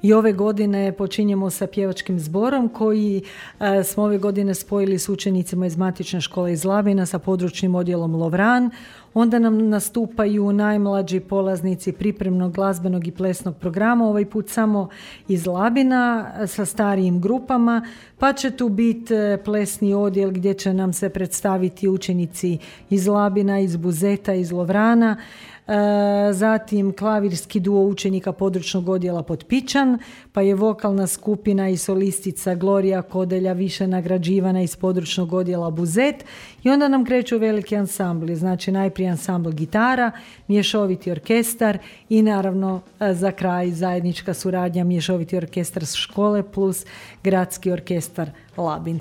I ove godine počinjemo sa pjevačkim zborom koji smo ove godine spojili s učenicima iz Matične škole iz Labina sa područnim odjelom Lovran. Onda nam nastupaju najmlađi polaznici pripremnog glazbenog i plesnog programa, ovaj put samo iz Labina sa starijim grupama, pa će tu biti plesni odjel gdje će nam se predstaviti učenici iz Labina, iz Buzeta, iz Lovrana, zatim klavirski duo učenika područnog odjela Potpičan, pa je vokalna skupina i solistica Glorija Kodelja više nagrađivana iz područnog odjela Buzet i onda nam kreću veliki ansambli, znači najprije ansambl gitara, mješoviti orkestar i naravno za kraj zajednička suradnja mješoviti orkestar škole plus gradski orkestar Labin.